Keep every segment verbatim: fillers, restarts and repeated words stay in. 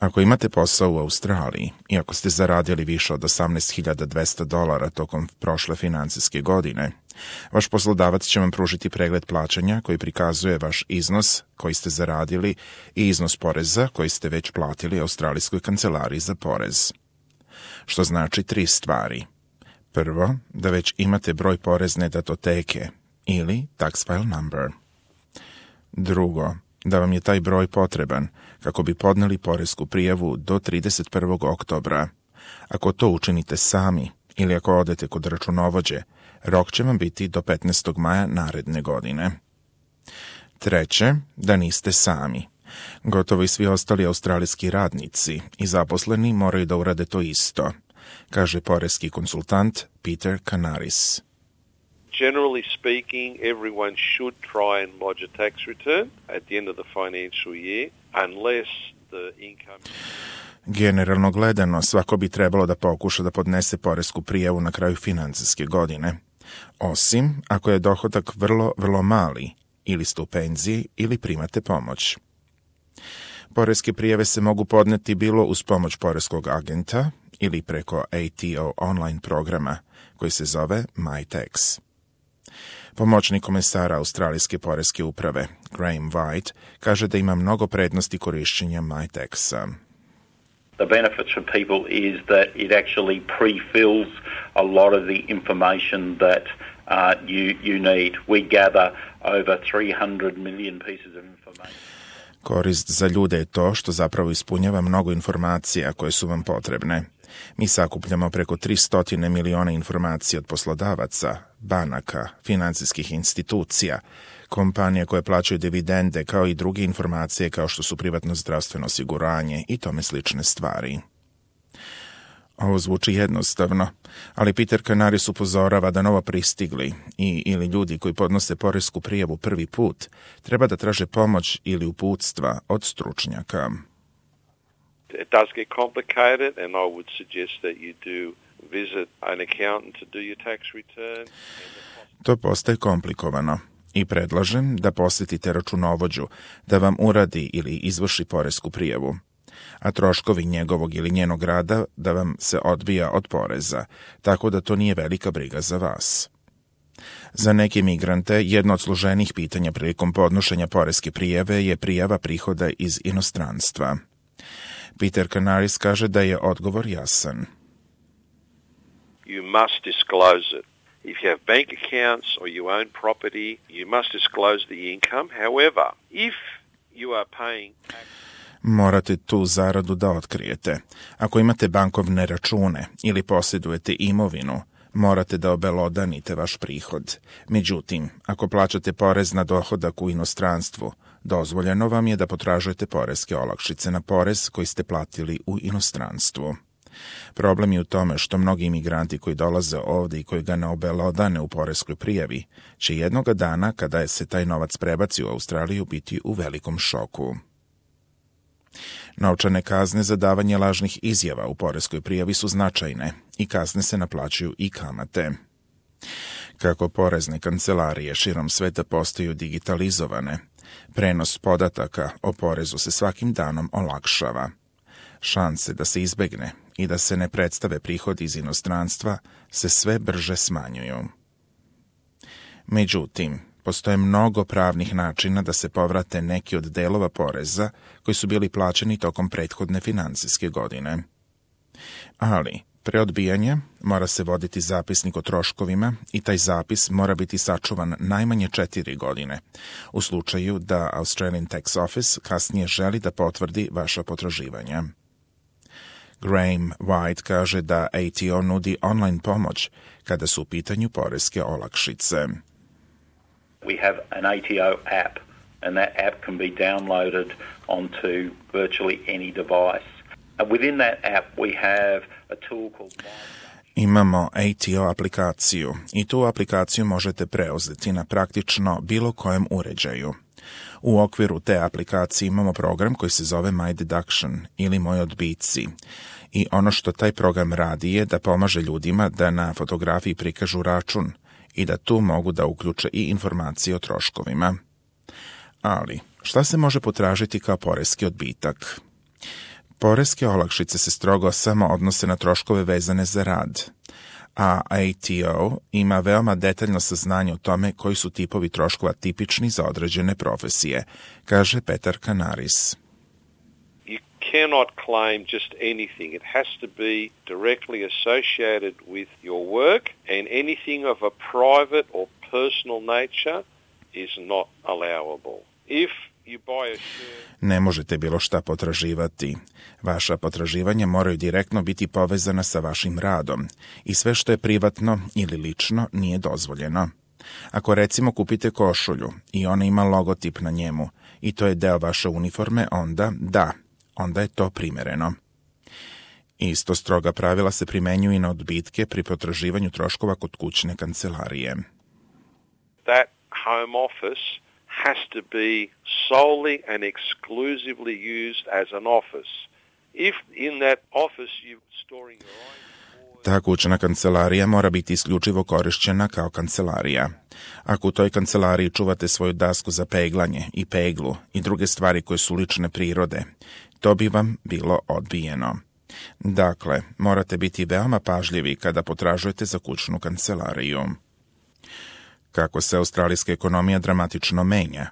Ako imate posao u Australiji i ako ste zaradili više od osamnaest hiljada dvesta dolara tokom prošle financijske godine, vaš poslodavac će vam pružiti pregled plaćanja koji prikazuje vaš iznos koji ste zaradili i iznos poreza koji ste već platili Australijskoj kancelariji za porez. Što znači tri stvari. Prvo, da već imate broj porezne datoteke ili tax file number. Drugo, da vam je taj broj potreban kako bi podneli poresku prijavu do trideset prvog oktobra. Ako to učinite sami ili ako odete kod računovođe, rok će vam biti do petnaestog maja naredne godine. Treće, da niste sami. Gotovo i svi ostali australijski radnici i zaposleni moraju da urade to isto, kaže poreski konsultant Peter Canaris. Generally speaking, everyone should try and lodge a tax return at the end of the financial year, unless the income... Generalno gledano, svako bi trebalo da pokuša da podnese poresku prijavu na kraju financijske godine, osim ako je dohodak vrlo, vrlo mali, ili ste u penziji ili primate pomoć. Poreske prijave se mogu podneti bilo uz pomoć poreskog agenta ili preko A T O online programa koji se zove MyTax. Pomoćnik komesara Australijske poreske uprave, Graham White, kaže da ima mnogo prednosti korišćenja MyTaxa. The benefit for people is that it actually pre-fills a lot of the information that uh, you, you need. We gather over three hundred million pieces of information. Korist za ljude je to što zapravo ispunjava mnogo informacija koje su vam potrebne. Mi sakupljamo preko tristo miliona informacija od poslodavaca, banaka, financijskih institucija, kompanija koje plaćaju dividende, kao i druge informacije kao što su privatno zdravstveno osiguranje i tome slične stvari. Ovo zvuči jednostavno, ali Peter Canaris upozorava da novo pristigli i ili ljudi koji podnose poresku prijavu prvi put treba da traže pomoć ili uputstva od stručnjaka. It does get complicated, and I would suggest that you do visit an accountant to do your tax return. To postaje komplikovano i predlažem da posjetite računovođu da vam uradi ili izvrši poresku prijavu, a troškovi njegovog ili njenog rada da vam se odbija od poreza, tako da to nije velika briga za vas. Za neke migrante jedno od složenih pitanja prilikom podnošenja poreske prijave je prijava prihoda iz inostranstva. Peter Canaris kaže da je odgovor jasan. You must disclose it. If you have bank accounts or you own property, you must disclose the income. However, if you are paying tax... Morate tu zaradu da otkrijete. Ako imate bankovne račune ili posjedujete imovinu, morate da obelodanite vaš prihod. Međutim, ako plaćate porez na dohodak u inostranstvu, dozvoljeno vam je da potražujete poreske olakšice na porez koji ste platili u inostranstvu. Problem je u tome što mnogi imigranti koji dolaze ovdje i koji ga ne obelodane u poreskoj prijavi, će jednoga dana, kada se taj novac prebaci u Australiju, biti u velikom šoku. Novčane kazne za davanje lažnih izjava u poreskoj prijavi su značajne i kazne se naplaćuju i kamate. Kako porezne kancelarije širom sveta postaju digitalizovane, prenos podataka o porezu se svakim danom olakšava. Šanse da se izbegne i da se ne predstave prihodi iz inostranstva se sve brže smanjuju. Međutim, postoje mnogo pravnih načina da se povrate neki od delova poreza koji su bili plaćeni tokom prethodne financijske godine. Ali, pre odbijanja mora se voditi zapisnik o troškovima i taj zapis mora biti sačuvan najmanje četiri godine, u slučaju da Australian Tax Office kasnije želi da potvrdi vaša potraživanja. Graham White kaže da A T O nudi online pomoć kada su u pitanju poreske olakšice. We have an A T O app, and that app can be downloaded onto virtually any device. And within that app we have a tool called Imamo A T O aplikaciju i tu aplikaciju možete preuzeti na praktično bilo kojem uređaju. U okviru te aplikacije imamo program koji se zove My Deduction ili Moji odbici. I ono što taj program radi je da pomaže ljudima da na fotografiji prikažu račun i da tu mogu da uključe i informacije o troškovima. Ali, šta se može potražiti kao poreski odbitak? Poreske olakšice se strogo samo odnose na troškove vezane za rad, a A T O ima veoma detaljno saznanje o tome koji su tipovi troškova tipični za određene profesije, kaže Petar Kanaris. You cannot claim just anything. It has to be directly associated with your work, and anything of a private or personal nature is not allowable. If you buy a share... Ne možete bilo šta potraživati. Vaša potraživanja moraju direktno biti povezana sa vašim radom i sve što je privatno ili lično nije dozvoljeno. Ako recimo kupite košulju i ona ima logotip na njemu i to je deo vaše uniforme, onda da, onda je to primereno. Isto stroga pravila se primenjuju i na odbitke pri potraživanju troškova kod kućne kancelarije. That home office has to be solely and exclusively used as an office. If in that office you're storing your own... Ta kućna kancelarija mora biti isključivo korišćena kao kancelarija. Ako u toj kancelariji čuvate svoju dasku za peglanje i peglu i druge stvari koje su lične prirode, to bi vam bilo odbijeno. Dakle, morate biti veoma pažljivi kada potražujete za kućnu kancelariju. Kako se australijska ekonomija dramatično menja,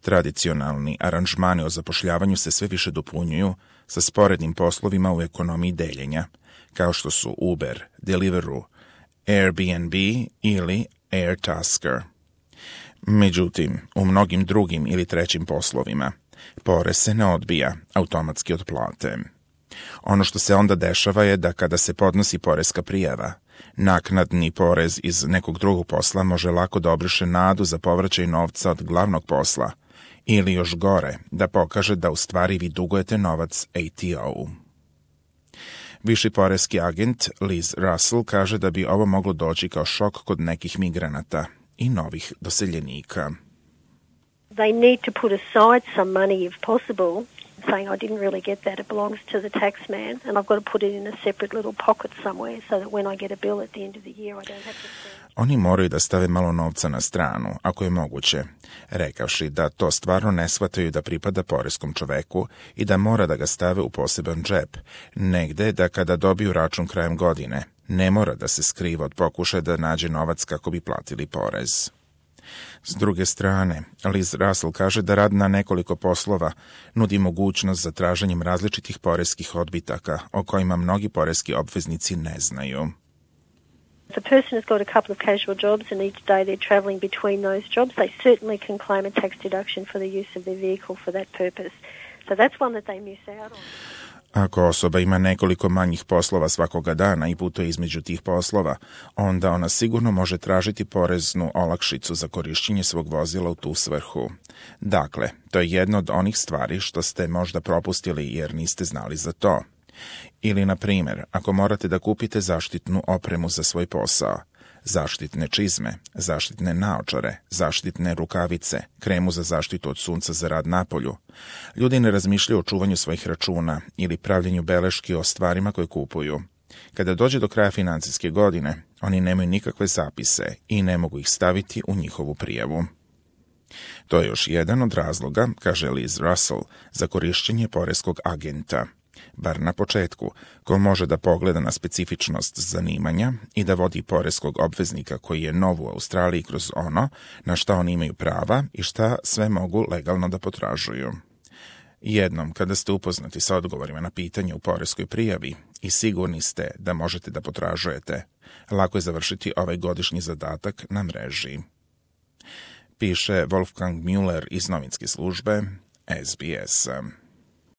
tradicionalni aranžmani o zapošljavanju se sve više dopunjuju sa sporednim poslovima u ekonomiji deljenja, kao što su Uber, Deliveroo, Airbnb ili Airtasker. Međutim, u mnogim drugim ili trećim poslovima, porez se ne odbija automatski od plate. Ono što se onda dešava je da kada se podnosi poreska prijava, naknadni porez iz nekog drugog posla može lako da obriše nadu za povraćaj novca od glavnog posla ili još gore, da pokaže da u stvari vi dugujete novac A T O-u. Viši poreski agent Liz Russell kaže da bi ovo moglo doći kao šok kod nekih migranata i novih doseljenika. They need to put aside some money if possible, saying I didn't really get that, it belongs to the tax man, and I've got to put it in a separate little pocket somewhere so that when I get a bill at the end of the year I don't have to spend. Oni moraju da stave malo novca na stranu, ako je moguće, rekavši da to stvarno ne shvataju da pripada poreskom čoveku i da mora da ga stave u poseban džep, negde da kada dobiju račun krajem godine, ne mora da se skriva od pokušaja da nađe novac kako bi platili porez. S druge strane, Liz Russell kaže da rad na nekoliko poslova nudi mogućnost za traženjem različitih poreskih odbitaka o kojima mnogi poreski obveznici ne znaju. If a person has got a couple of casual jobs and each day they're travelling between those jobs, they certainly can claim a tax deduction for the use of their vehicle for that purpose. So that's one that they miss out on. Ako osoba ima nekoliko manjih poslova svakoga dana i putuje između tih poslova, onda ona sigurno može tražiti poreznu olakšicu za korišćenje svog vozila u tu svrhu. Dakle, to je jedna od onih stvari što ste možda propustili jer niste znali za to. Ili, na primjer, ako morate da kupite zaštitnu opremu za svoj posao, zaštitne čizme, zaštitne naočare, zaštitne rukavice, kremu za zaštitu od sunca za rad napolju. Ljudi ne razmišljaju o čuvanju svojih računa ili pravljenju beleški o stvarima koje kupuju. Kada dođe do kraja financijske godine, oni nemaju nikakve zapise i ne mogu ih staviti u njihovu prijavu. To je još jedan od razloga, kaže Liz Russell, za korišćenje poreskog agenta. Bar na početku, ko može da pogleda na specifičnost zanimanja i da vodi poreskog obveznika koji je nov u Australiji kroz ono na šta oni imaju prava i šta sve mogu legalno da potražuju. Jednom, kada ste upoznati sa odgovorima na pitanje u poreskoj prijavi i sigurni ste da možete da potražujete, lako je završiti ovaj godišnji zadatak na mreži. Piše Wolfgang Müller iz novinske službe S B S.